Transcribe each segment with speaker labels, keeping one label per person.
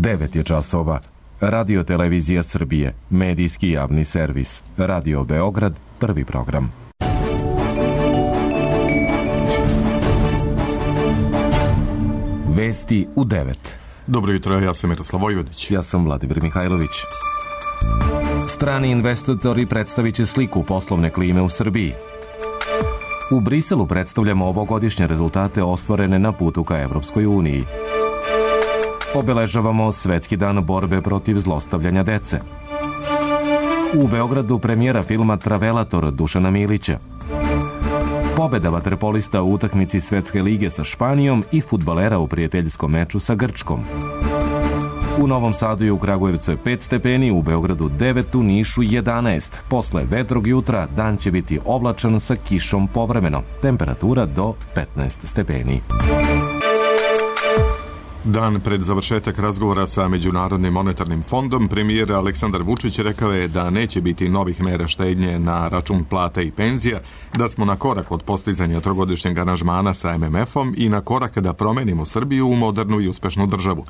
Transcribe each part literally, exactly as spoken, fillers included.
Speaker 1: devet je časova. Radio Televizija Srbije, medijski javni servis. Radio Beograd, prvi program. Vesti u devet.
Speaker 2: Dobro jutro, ja sam Miroslav Vojvodić.
Speaker 1: Ja sam Vladimir Mihajlović. Strani investitori predstavit će sliku poslovne klime u Srbiji. U Briselu predstavljamo ovogodišnje rezultate ostvarene na putu ka Evropskoj uniji. Obeležavamo Svetski dan borbe protiv zlostavljanja dece. U Beogradu premijera filma Travelator Dušana Milića. Pobeda vaterpolista u utakmici Svetske lige sa Španijom i fudbalera u prijateljskom meču sa Grčkom. U Novom Sadu i u Kragujevcu je pet stepeni, u Beogradu devet, u Nišu jedanaest. Posle vedrog jutra dan će biti oblačan sa kišom povremeno. Temperatura do petnaest stepeni.
Speaker 2: Dan pred završetak razgovora sa Međunarodnim monetarnim fondom, premijer Aleksandar Vučić rekao je da neće biti novih mera štednje na račun plata i penzija, da smo na korak od postizanja trogodišnjeg aranžmana sa em em efom i na korak da promenimo Srbiju u modernu i uspešnu državu.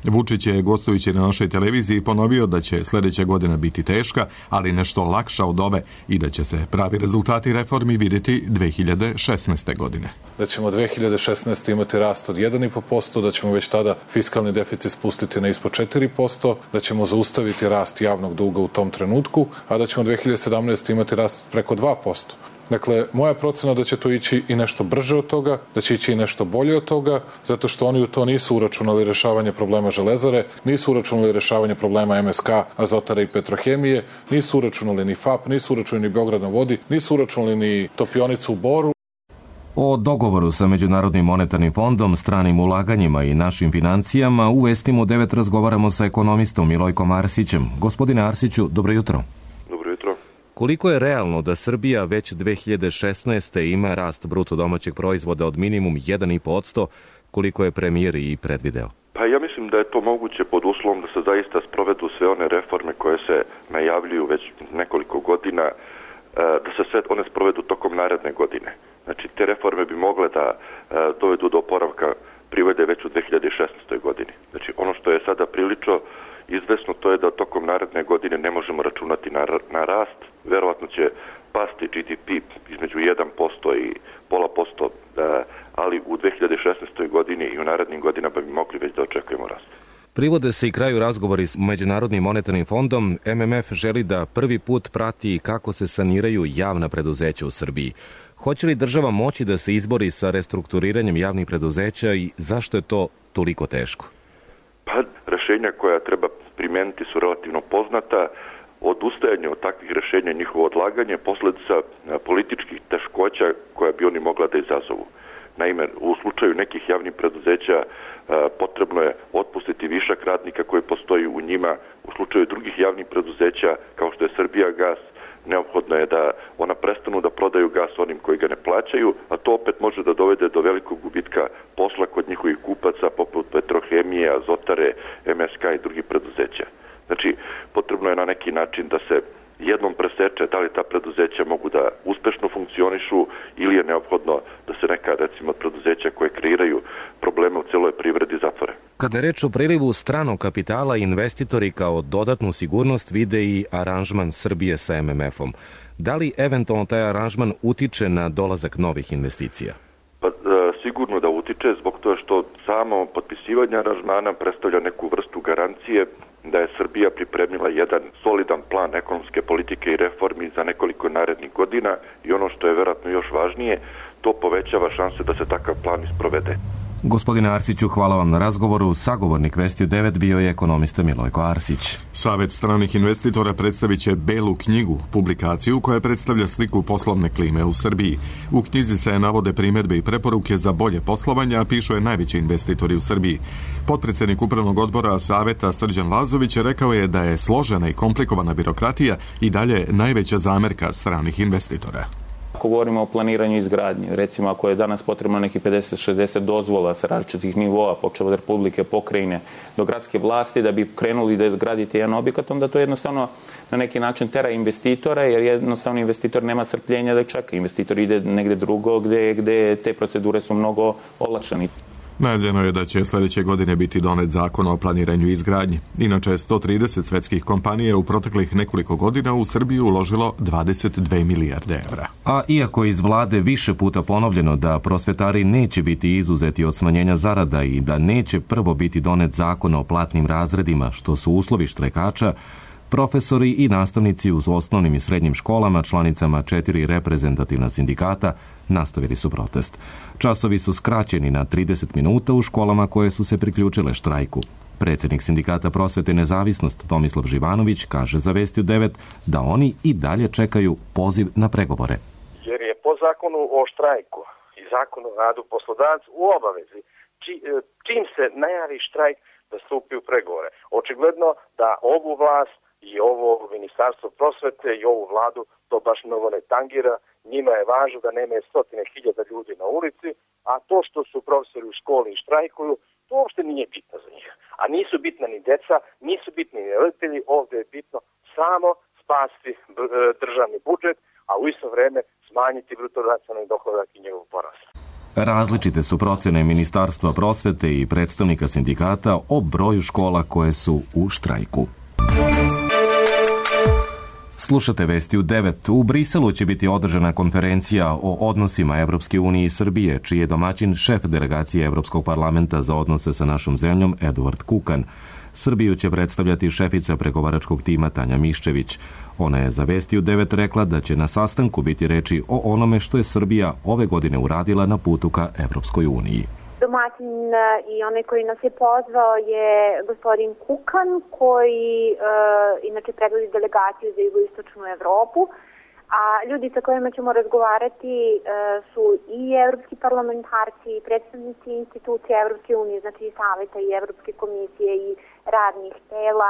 Speaker 2: Vučić je, gostujući na našoj televiziji, ponovio da će sljedeća godina biti teška, ali nešto lakša od ove i da će se pravi rezultati reformi vidjeti dve hiljade šesnaeste. godine.
Speaker 3: Da ćemo dve hiljade šesnaeste. imati rast od jedan zarez pet posto, da ćemo već tada fiskalni deficit spustiti na ispod četiri posto, da ćemo zaustaviti rast javnog duga u tom trenutku, a da ćemo dve hiljade sedamnaeste. imati rast preko dva posto. Dakle, moja procena da će to ići i nešto brže od toga, da će ići i nešto bolje od toga, zato što oni u to nisu uračunali rešavanje problema Železare, nisu uračunali rešavanje problema em es ka, Azotara i Petrohemije, nisu uračunali ni fap, nisu uračunali ni Beograd na vodi, nisu uračunali ni topionicu u Boru.
Speaker 1: O dogovoru sa Međunarodnim monetarnim fondom, stranim ulaganjima i našim financijama u Vestima u devet razgovaramo sa ekonomistom Milojkom Arsićem. Gospodine Arsiću, dobro jutro.
Speaker 4: Dobro jutro.
Speaker 1: Koliko je realno da Srbija već dve hiljade šesnaeste. ima rast bruto domaćeg proizvoda od minimum jedan zarez pet posto, koliko je premijer i predvideo?
Speaker 4: Pa ja mislim da je to moguće pod uslovom da se zaista sprovedu sve one reforme koje se najavljuju već nekoliko godina, da se sve one sprovedu tokom naredne godine. Znači, te reforme bi mogle da dovedu do oporavka privrede već u dve hiljade šesnaestoj. godini. Znači, ono što je sada prilično izvesno, to je da tokom naredne godine ne možemo računati na, na rast. Verovatno će pasti G D P između jedan posto i pola posto, ali u dve hiljade šesnaestoj. godini i u narednim godinama bi mogli već da očekujemo rast.
Speaker 1: Privode se i kraju razgovori s Međunarodnim monetarnim fondom. em em ef želi da prvi put prati kako se saniraju javna preduzeća u Srbiji. Hoće li država moći da se izbori sa restrukturiranjem javnih preduzeća i zašto je to toliko teško?
Speaker 4: Pa, rešenja koja treba primijeniti su relativno poznata. Odustajanje od takvih rešenja i njihovo odlaganje posljedica političkih teškoća koja bi oni mogla da izazovu. Naime, u slučaju nekih javnih preduzeća potrebno je otpustiti višak radnika koji postoji u njima. U slučaju drugih javnih preduzeća, kao što je Srbijagas, neophodno je da ona prestanu da prodaju gas onim koji ga ne plaćaju, a to opet može da dovede do velikog gubitka posla kod njihovih kupaca, poput Petrohemije, Azotare, em es ka i drugih preduzeća. Znači, potrebno je na neki način da se jednom preseče da li ta preduzeća mogu da uspešno funkcionišu ili je neophodno da se neka, recimo, preduzeća koje kreiraju probleme u celoj privredi zatvore.
Speaker 1: Kada je reč o prilivu stranog kapitala, investitori kao dodatnu sigurnost vide i aranžman Srbije sa em em efom. Da li eventualno taj aranžman utiče na dolazak novih investicija?
Speaker 4: Pa, sigurno da utiče, zbog toga što samo potpisivanje aranžmana predstavlja neku vrstu garancije da je Srbija pripremila jedan solidan plan ekonomske politike i reformi za nekoliko narednih godina i ono što je verovatno još važnije, to povećava šanse da se takav plan isprovede.
Speaker 1: Gospodine Arsiću, hvala vam na razgovoru. Sagovornik Vesti u devet bio je ekonomista Milojko Arsić.
Speaker 2: Savet stranih investitora predstavit će Belu knjigu, publikaciju koja predstavlja sliku poslovne klime u Srbiji. U knjizi se navode primjedbe i preporuke za bolje poslovanje, a pišu je najveći investitori u Srbiji. Potpredsednik upravnog odbora Saveta Srđan Lazović rekao je da je složena i komplikovana birokratija i dalje najveća zamerka stranih investitora.
Speaker 5: Ako govorimo o planiranju i izgradnji, recimo ako je danas potrebno neki pedeset šezdeset dozvola sa različitih nivoa, počeo od Republike, pokrajine do gradske vlasti, da bi krenuli da izgradite jedan objekat, onda to jednostavno na neki način tera investitora, jer jednostavno investitor nema strpljenja da čeka. Investitor ide negde drugo gde, gde te procedure su mnogo olakšane.
Speaker 2: Najavljeno je da će sljedeće godine biti donet zakon o planiranju i izgradnji. Inače, sto trideset svetskih kompanija u proteklih nekoliko godina u Srbiju uložilo dvadeset dve milijarde evra.
Speaker 1: A iako iz vlade više puta ponovljeno da prosvetari neće biti izuzeti od smanjenja zarada i da neće prvo biti donet zakon o platnim razredima, što su uslovi štrajkača, profesori i nastavnici u osnovnim i srednjim školama, članicama četiri reprezentativna sindikata, nastavili su protest. Časovi su skraćeni na trideset minuta u školama koje su se priključile štrajku. Predsjednik sindikata Prosvete i nezavisnost Tomislav Živanović kaže za Vesti u devet da oni i dalje čekaju poziv na pregovore.
Speaker 6: Jer je po zakonu o štrajku i zakonu o radu poslodavac u obavezi či, čim se najavi štrajk da stupi u pregovore. Očigledno da ovu vlast i ovo ministarstvo prosvete i ovu vladu to baš mnogo ne tangira. Njima je važno da nema stotine hiljada ljudi na ulici, a to što su profesori u školi i štrajkuju, to uopšte nije bitno za njih. A nisu bitna ni deca, nisu bitni ni roditelji, ovdje je bitno samo spasti državni budžet, a u isto vrijeme smanjiti bruto nacionalni dohodak i njegov porast.
Speaker 1: Različite su procjene Ministarstva prosvete i predstavnika sindikata o broju škola koje su u štrajku. Slušate Vesti u devet. U Briselu će biti održana konferencija o odnosima Evropske unije i Srbije, čiji je domaćin šef delegacije Evropskog parlamenta za odnose sa našom zemljom Eduard Kukan. Srbiju će predstavljati šefica pregovaračkog tima Tanja Miščević. Ona je za Vesti u devet rekla da će na sastanku biti reči o onome što je Srbija ove godine uradila na putu ka Evropskoj uniji.
Speaker 7: Domaćin i onaj koji nas je pozvao je gospodin Kukan, koji e, inače predvodi delegaciju za jugoistočnu Evropu, a ljudi sa kojima ćemo razgovarati e, su i evropski parlamentarci, i predstavnici institucija Evropske unije, znači i Saveta i Evropske komisije i radnih tela,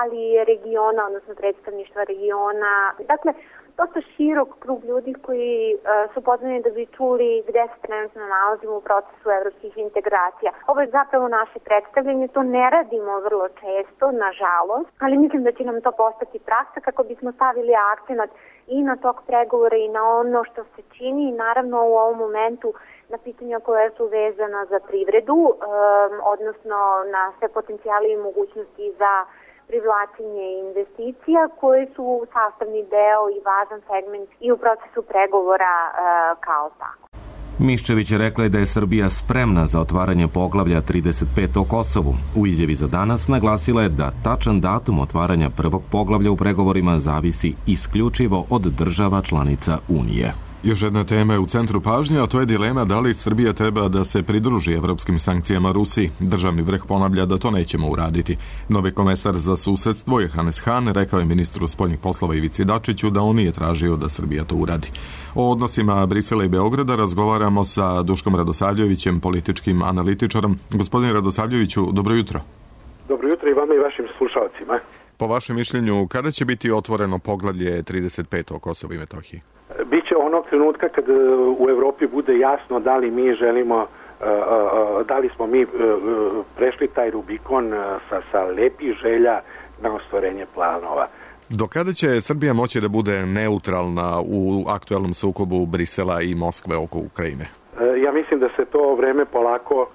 Speaker 7: ali i regiona, odnosno predstavništva regiona. Dakle, dosta širok krug ljudi koji uh, su pozvani da bi čuli gde se trenutno nalazimo u procesu evropskih integracija. Ovo je zapravo naše predstavljanje, to ne radimo vrlo često, nažalost, ali mislim da će nam to postati praksa kako bismo stavili akcenat i na tok pregovora i na ono što se čini i naravno u ovom momentu na pitanja koja su vezana za privredu, um, odnosno na sve potencijale i mogućnosti za privlačenje investicija koje su sastavni deo i važan segment i u procesu pregovora e, kao tako.
Speaker 1: Miščević je rekla da je Srbija spremna za otvaranje poglavlja trideset pet o Kosovu. U izjavi za danas naglasila je da tačan datum otvaranja prvog poglavlja u pregovorima zavisi isključivo od država članica Unije.
Speaker 2: Još jedna tema je u centru pažnje, a to je dilema da li Srbija treba da se pridruži evropskim sankcijama Rusiji. Državni vrh ponavlja da to nećemo uraditi. Novi komesar za susedstvo Johannes Hahn rekao je ministru spoljnih poslova Ivici Dačiću da on nije tražio da Srbija to uradi. O odnosima Brisela i Beograda razgovaramo sa Duškom Radosavljevićem, političkim analitičarom. Gospodin Radosavljeviću, dobro jutro.
Speaker 8: Dobro jutro i vama i vašim slušalcima.
Speaker 2: Po vašem mišljenju, kada će biti otvoreno poglavlje trideset pet o Kosovu i Metohiji?
Speaker 8: Biće onog trenutka kad u Evropi bude jasno da li mi želimo, da li smo mi prešli taj Rubikon sa, sa lepih želja na ostvarenje planova.
Speaker 2: Do kada će Srbija moći da bude neutralna u aktuelnom sukobu Brisela i Moskve oko Ukrajine?
Speaker 8: Ja mislim da se to vreme polako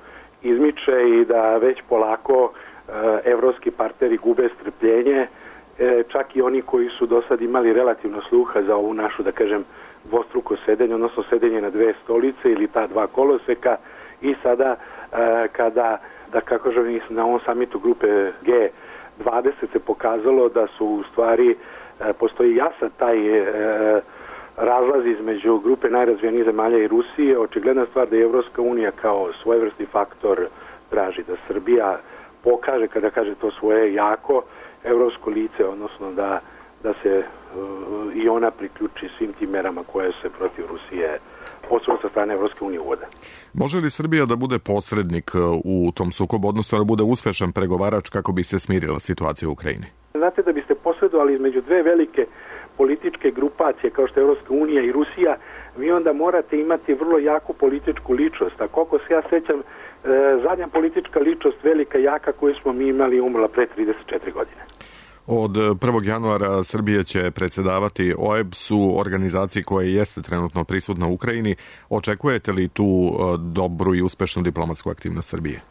Speaker 8: izmiče i da već polako evropski partneri gube strpljenje, čak i oni koji su do sad imali relativno sluha za ovu našu, da kažem, dvostruko sedenje, odnosno sedenje na dve stolice ili ta dva koloseka i sada kada, da kako želim, na ovom samitu grupe G dvadeset se pokazalo da su u stvari, postoji jasan taj razlaz između grupe najrazvijenijih zemalja i Rusije. Očigledna stvar da je Evropska unija kao svojevrsni faktor traži da Srbija pokaže, kada kaže to svoje jako, evropsko lice, odnosno da, da se uh, i ona priključi svim tim merama koje se protiv Rusije posebno sa strane Evropske unije uvode.
Speaker 2: Može li Srbija da bude posrednik u tom sukobu, odnosno da bude uspešan pregovarač kako bi se smirila situacija u Ukrajini?
Speaker 8: Znate, da biste posredovali između dve velike političke grupacije kao što je Evropska unija i Rusija, vi onda morate imati vrlo jaku političku ličnost. A koliko se ja sećam, e, zadnja politička ličnost velika jaka koju smo mi imali umrla pre trideset četiri godine.
Speaker 2: Od prvog januara Srbije će predsjedavati O E B S-u, organizaciji koja jeste trenutno prisutna u Ukrajini. Očekujete li tu dobru i uspešnu diplomatsku aktivnost Srbije?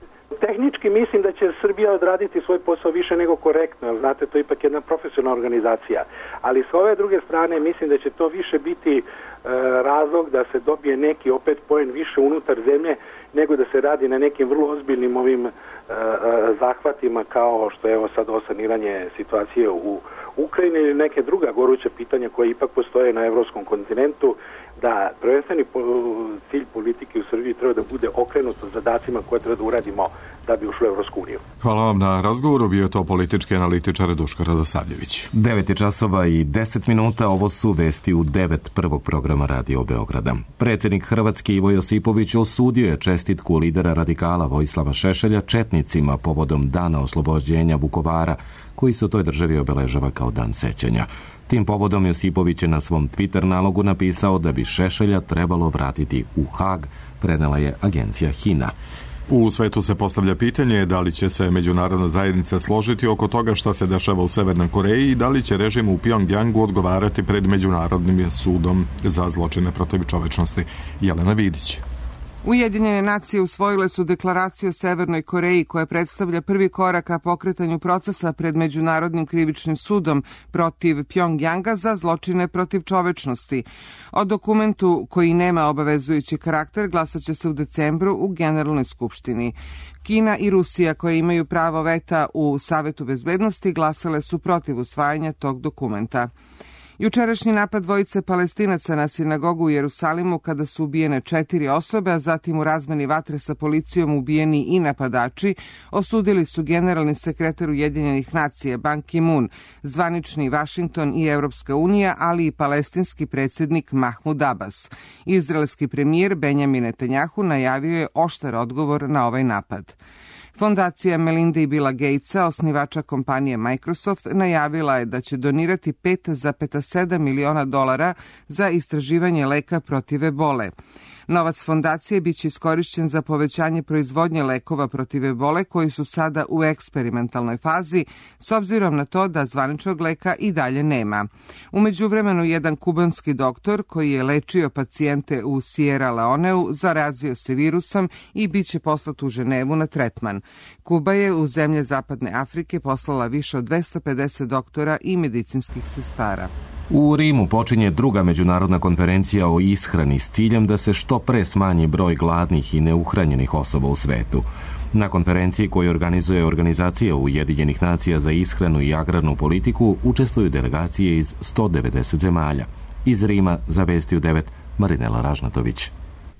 Speaker 8: Tehnički mislim da će Srbija odraditi svoj posao više nego korektno, znate, to je ipak jedna profesionalna organizacija. Ali s ove druge strane mislim da će to više biti e, razlog da se dobije neki opet poen više unutar zemlje, nego da se radi na nekim vrlo ozbiljnim ovim e, zahvatima kao što je evo sad ovo saniranje situacije u Ukrajini ili neke druga goruća pitanja koje ipak postoje na evropskom kontinentu, da prvenstveni cilj politike u Srbiji treba da bude okrenut zadacima koje treba da uradimo da bi ušli u Evropsku uniju.
Speaker 2: Hvala vam na razgovoru, bio je to politički analitičar Duško Radosavljević.
Speaker 1: devet je časova i deset minuta, ovo su vesti u devet prvog programa Radio Beograda. Predsjednik Hrvatske Ivo Josipović osudio je čestitku lidera radikala Vojislava Šešelja četnicima povodom dana oslobođenja Vukovara, koji se u toj državi obeležava kao dan sećanja. Tim povodom Josipović je na svom Twitter nalogu napisao da bi Šešelja trebalo vratiti u Hag, prenela je agencija Hina.
Speaker 2: U svetu se postavlja pitanje da li će se međunarodna zajednica složiti oko toga šta se dešava u Severnoj Koreji i da li će režim u Pjongjangu odgovarati pred Međunarodnim sudom za zločine protiv čovečnosti. Jelena Vidić.
Speaker 9: Ujedinjene nacije usvojile su deklaraciju o Severnoj Koreji koja predstavlja prvi korak ka pokretanju procesa pred Međunarodnim krivičnim sudom protiv Pjongjanga za zločine protiv čovečnosti. O dokumentu koji nema obavezujući karakter glasat će se u decembru u Generalnoj skupštini. Kina i Rusija, koje imaju pravo veta u Savetu bezbednosti, glasale su protiv usvajanja tog dokumenta. Jučerašnji napad dvojice Palestinaca na sinagogu u Jerusalimu kada su ubijene četiri osobe, a zatim u razmeni vatre sa policijom ubijeni i napadači, osudili su generalni sekretar Ujedinjenih nacija Ban Ki-moon, zvanični Vašington i Evropska unija, ali i palestinski predsjednik Mahmud Abbas. Izraelski premijer Benjamin Netanjahu najavio je oštar odgovor na ovaj napad. Fondacija Melinda i Billa Gatesa, osnivača kompanije Microsoft, najavila je da će donirati pet zarez sedam miliona dolara za istraživanje leka protiv ebole. Novac fondacije biće iskorišćen za povećanje proizvodnje lekova protiv ebole koji su sada u eksperimentalnoj fazi, s obzirom na to da zvaničnog leka i dalje nema. U međuvremenu jedan kubanski doktor koji je lečio pacijente u Sierra Leoneu zarazio se virusom i bit će poslat u Ženevu na tretman. Kuba je u zemlje Zapadne Afrike poslala više od dvesta pedeset doktora i medicinskih sestara.
Speaker 1: U Rimu počinje druga međunarodna konferencija o ishrani s ciljem da se što pre smanji broj gladnih i neuhranjenih osoba u svetu. Na konferenciji koju organizuje Organizacija Ujedinjenih nacija za ishranu i agrarnu politiku učestvuju delegacije iz sto devedeset zemalja. Iz Rima za Vesti u devet Marinela Ražnatović.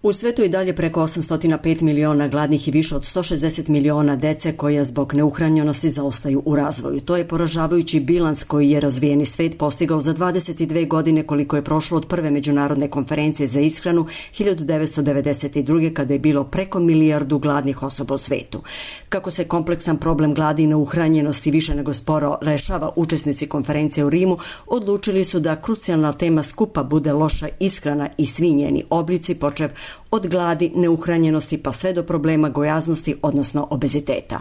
Speaker 10: U svetu je dalje preko osamsto pet miliona gladnih i više od sto šezdeset miliona dece koja zbog neuhranjenosti zaostaju u razvoju. To je poražavajući bilans koji je razvijeni svet postigao za dvadeset dve godine koliko je prošlo od prve međunarodne konferencije za ishranu hiljadu devetsto devedeset druge kada je bilo preko milijardu gladnih osoba u svetu. Kako se kompleksan problem gladi i neuhranjenosti više nego sporo rešava, učesnici konferencije u Rimu odlučili su da krucijalna tema skupa bude loša ishrana i svi njeni oblici, počev od gladi, neuhranjenosti pa sve do problema gojaznosti, odnosno obeziteta.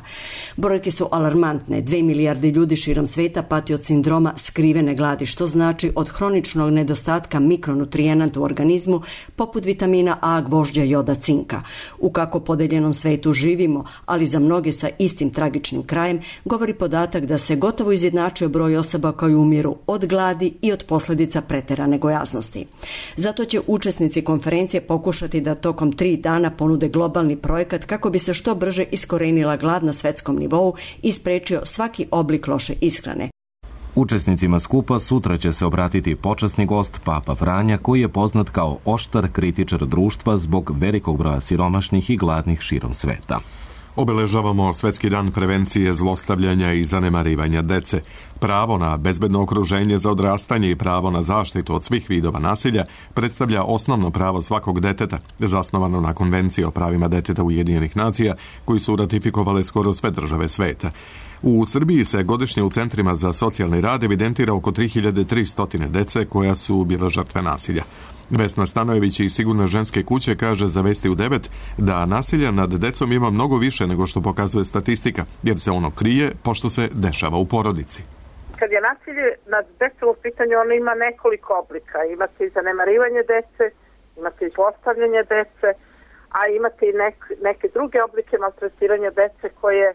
Speaker 10: Brojke su alarmantne. Dve milijarde ljudi širom sveta pati od sindroma skrivene gladi, što znači od hroničnog nedostatka mikronutrijenata u organizmu, poput vitamina A, gvožđa, joda, cinka. U kako podeljenom svetu živimo, ali za mnoge sa istim tragičnim krajem, govori podatak da se gotovo izjednačio broj osoba koji umiru od gladi i od posljedica preterane gojaznosti. Zato će učesnici konferencije pokušati da tokom tri dana ponude globalni projekat kako bi se što brže iskorenila glad na svetskom nivou i sprečio svaki oblik loše ishrane.
Speaker 1: Učesnicima skupa sutra će se obratiti počasni gost Papa Franja, koji je poznat kao oštar kritičar društva zbog velikog broja siromašnih i gladnih širom sveta.
Speaker 2: Obeležavamo Svetski dan prevencije zlostavljanja i zanemarivanja dece. Pravo na bezbedno okruženje za odrastanje i pravo na zaštitu od svih vidova nasilja predstavlja osnovno pravo svakog deteta, zasnovano na Konvenciji o pravima deteta Ujedinjenih nacija, koji su ratifikovale skoro sve države sveta. U Srbiji se godišnje u centrima za socijalni rad evidentira oko tri hiljade tristo dece koja su bile žrtve nasilja. Vesna Stanojević iz Sigurne ženske kuće kaže za Vesti u devet da nasilja nad decom ima mnogo više nego što pokazuje statistika, jer se ono krije pošto se dešava u porodici.
Speaker 11: Kad je nasilje nad decom u pitanju, ono ima nekoliko oblika. Imate i zanemarivanje dece, imate i postavljanje dece, a imate i nek, neke druge oblike maltretiranja dece koje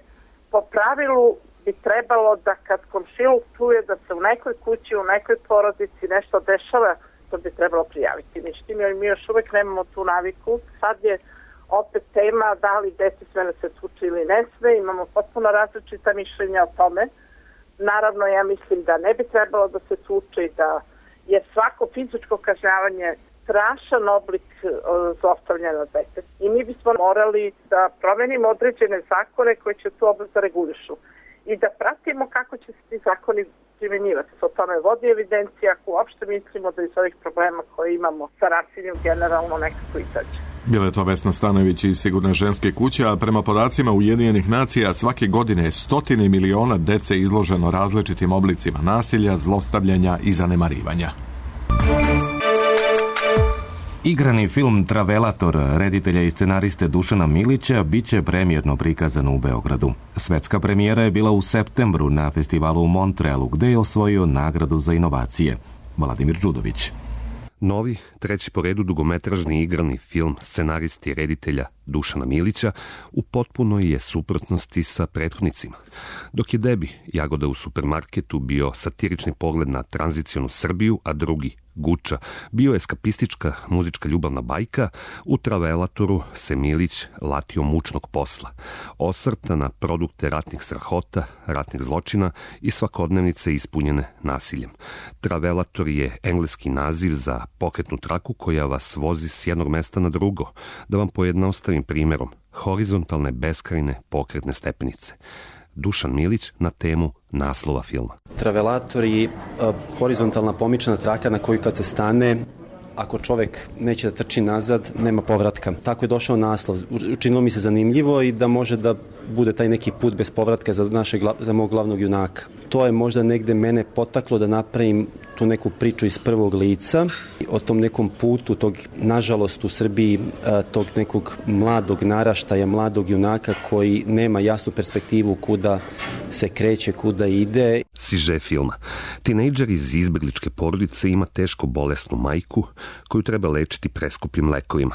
Speaker 11: po pravilu bi trebalo da kad komšiluk čuje da se u nekoj kući, u nekoj porodici nešto dešava, to bi trebalo prijaviti. Međutim, mi još uvek nemamo tu naviku. Sad je opet tema da li dete sve da se tuče ili ne sve. Imamo potpuno različita mišljenja o tome. Naravno, ja mislim da ne bi trebalo da se tuče i da je svako fizičko kažnjavanje strašan oblik zlostavljanja dece. I mi bismo morali da promenimo određene zakone koje će tu oblast da regulišu i da pratimo kako će se ti zakoni primjenjivati. O tome vodi evidencija, ako uopšte mislimo da iz ovih problema koje imamo sa nasiljem generalno nekako izađe.
Speaker 2: Bila je to Vesna Stanojević iz Sigurne ženske kuće, a prema podacima Ujedinjenih nacija svake godine je stotine miliona dece izloženo različitim oblicima nasilja, zlostavljanja i zanemarivanja.
Speaker 1: Igrani film Travelator reditelja i scenariste Dušana Milića biće premijerno prikazan u Beogradu. Svetska premijera je bila u septembru na festivalu u Montrealu, gde je osvojio nagradu za inovacije. Vladimir Đudović.
Speaker 12: Novi, treći po redu dugometražni igrani film scenaristi i reditelja Dušana Milića u potpunoj je suprotnosti sa prethodnicima. Dok je Debi, Jagoda u supermarketu, bio satirični pogled na tranzicionu Srbiju, a drugi, Guča, bio eskapistička muzička ljubavna bajka, u Travelatoru se Milić latio mučnog posla. Osvrta na produkte ratnih strahota, ratnih zločina i svakodnevnice ispunjene nasiljem. Travelator je engleski naziv za pokretnu traku koja vas vozi s jednog mesta na drugo. Da vam pojednostavim primjerom, horizontalne beskrajne pokretne stepenice. Dušan Milić na temu naslova filma.
Speaker 13: Travelator je uh, horizontalna pomična traka na koju kad se stane, ako čovek neće da trči nazad, nema povratka. Tako je došao naslov. Učinilo mi se zanimljivo i da može da bude taj neki put bez povratka za, našeg, za mog glavnog junaka. To je možda negde mene potaklo da napravim tu neku priču iz prvog lica o tom nekom putu, tog, nažalost u Srbiji, tog nekog mladog naraštaja, mladog junaka koji nema jasnu perspektivu kuda se kreće, kuda ide.
Speaker 12: Siže filma. Tinejdžer iz izbegličke porodice ima teško bolesnu majku koju treba lečiti preskupim lekovima.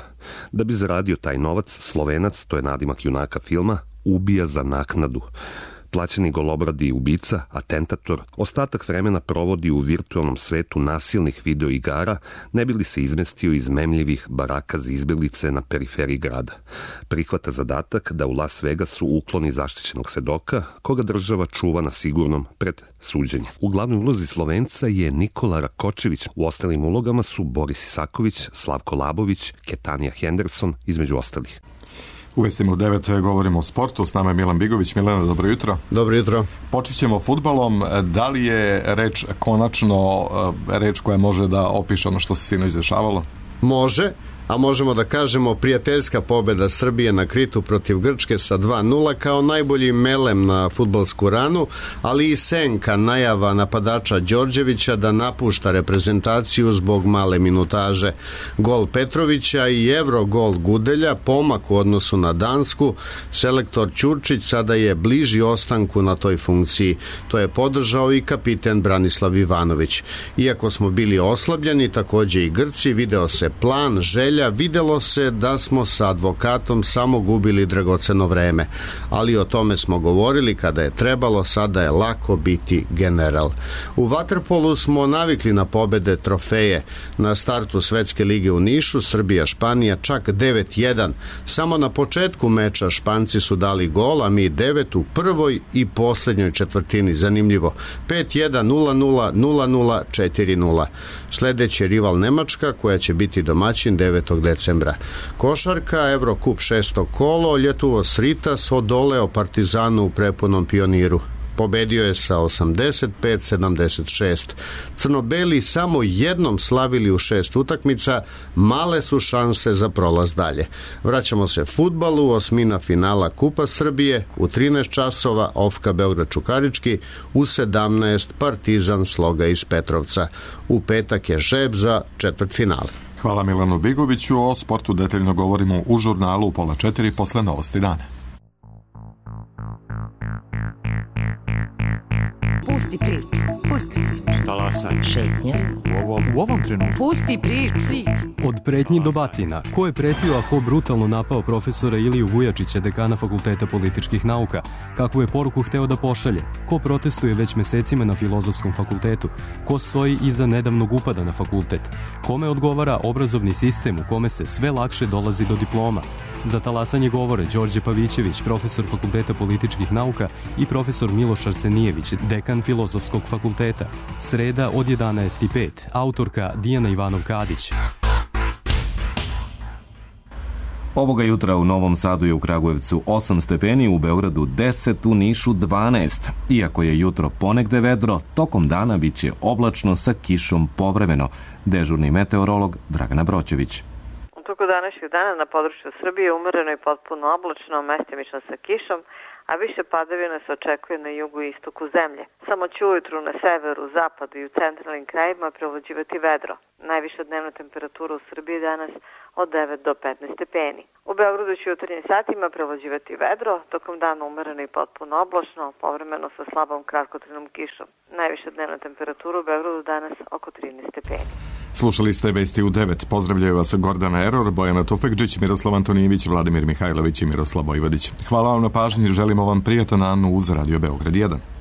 Speaker 12: Da bi zaradio taj novac, Slovenac, to je nadimak junaka filma, ubija za naknadu. Plaćeni golobradi ubica, atentator, ostatak vremena provodi u virtualnom svetu nasilnih videoigara, ne bi li se izmestio iz memljivih baraka za izbjeglice na periferiji grada. Prihvata zadatak da u Las Vegasu ukloni zaštićenog svedoka, koga država čuva na sigurnom pred suđenjem. U glavnoj ulozi Slovenca je Nikola Rakočević, u ostalim ulogama su Boris Isaković, Slavko Labović, Ketanija Henderson, između ostalih.
Speaker 2: U Vestima u devet govorimo o sportu, s nama je Milan Bigović. Milano, dobro jutro.
Speaker 14: Dobro jutro.
Speaker 2: Počet ćemo fudbalom. Da li je reč konačno reč koja može da opiše ono što se sinoć dešavalo?
Speaker 14: Može, a možemo da kažemo prijateljska pobjeda Srbije na Kritu protiv Grčke sa dva nula kao najbolji melem na fudbalsku ranu, ali i senka najava napadača Đorđevića da napušta reprezentaciju zbog male minutaže. Gol Petrovića i Evro gol Gudelja, pomak u odnosu na Dansku, selektor Ćurčić sada je bliži ostanku na toj funkciji. To je podržao i kapiten Branislav Ivanović. Iako smo bili oslabljeni, također i Grci, video se plan, želja, videlo se da smo sa advokatom samo gubili dragoceno vreme, ali o tome smo govorili kada je trebalo, sada je lako biti general. U vaterpolu smo navikli na pobede, trofeje. Na startu Svetske lige u Nišu, Srbija-Španija čak devet jedan. Samo na početku meča Španci su dali gol, a mi devet u prvoj i posljednjoj četvrtini. Zanimljivo. pet jedan, nula nula, nula nula, četiri nula. Sljedeći je rival Nemačka koja će biti domaćin devetog decembra. Košarka, Evrokup šesto kolo, Ljetuvo Sritas odoleo Partizanu u prepunom Pioniru. Pobedio je sa osamdeset pet sedamdeset šest. Crnobeli samo jednom slavili u šest utakmica, male su šanse za prolaz dalje. Vraćamo se fudbalu, osmina finala Kupa Srbije, u trinaest časova Ofka Beograd Čukarički, u sedamnaest Partizan Sloga iz Petrovca. U petak je žreb za četvrtfinale.
Speaker 2: Hvala Milanu Bigoviću. O sportu detaljno govorimo u žurnalu u pola četiri posle novosti dana.
Speaker 15: Pusti priču. Sad.
Speaker 16: Šetnja.
Speaker 15: U ovom, u ovom trenutku.
Speaker 16: Pusti priču.
Speaker 17: Od pretnji do batina. Ko je pretio, a ko brutalno napao profesora Iliju Vujačića, dekana Fakulteta političkih nauka? Kakvu je poruku hteo da pošalje? Ko protestuje već mesecima na Filozofskom fakultetu? Ko stoji iza nedavnog upada na fakultet? Kome odgovara obrazovni sistem u kome se sve lakše dolazi do diploma? Za talasanje govore Đorđe Pavićević, profesor Fakulteta političkih nauka, i profesor Miloš Arsenijević, dekan Filozofskog fakulteta. Sreda od jedanaest i pet. Autorka Dijana Ivanov-Kadić.
Speaker 1: Ovoga jutra u Novom Sadu je u Kragujevcu osam stepeni, u Beogradu deset, u Nišu dvanaest. Iako je jutro ponegde vedro, tokom dana biće oblačno sa kišom povremeno. Dežurni meteorolog Dragana Broćević.
Speaker 18: U toku današnjeg dana na području Srbije umereno i potpuno oblačno, mestimično sa kišom, a više padavina se očekuje na jugu i istoku zemlje. Samo će ujutru na severu, zapadu i u centralnim krajevima prevlađivati vedro. Najviša dnevna temperatura u Srbiji danas od devet do petnaest stepeni. U Beogradu će u jutarnjim satima prevlađivati vedro, tokom dana umereno i potpuno oblačno, povremeno sa slabom kratkotrajnom kišom. Najviša dnevna temperatura u Beogradu danas oko trinaest stepeni.
Speaker 2: Slušali ste Vesti u devet. Pozdravljaju vas Gordana Eror, Bojana Tufekđić, Miroslav Antonijević, Vladimir Mihajlović i Miroslav Vojvodić. Hvala vam na pažnji, želimo vam prijatan dan uz Radio Beograd jedan.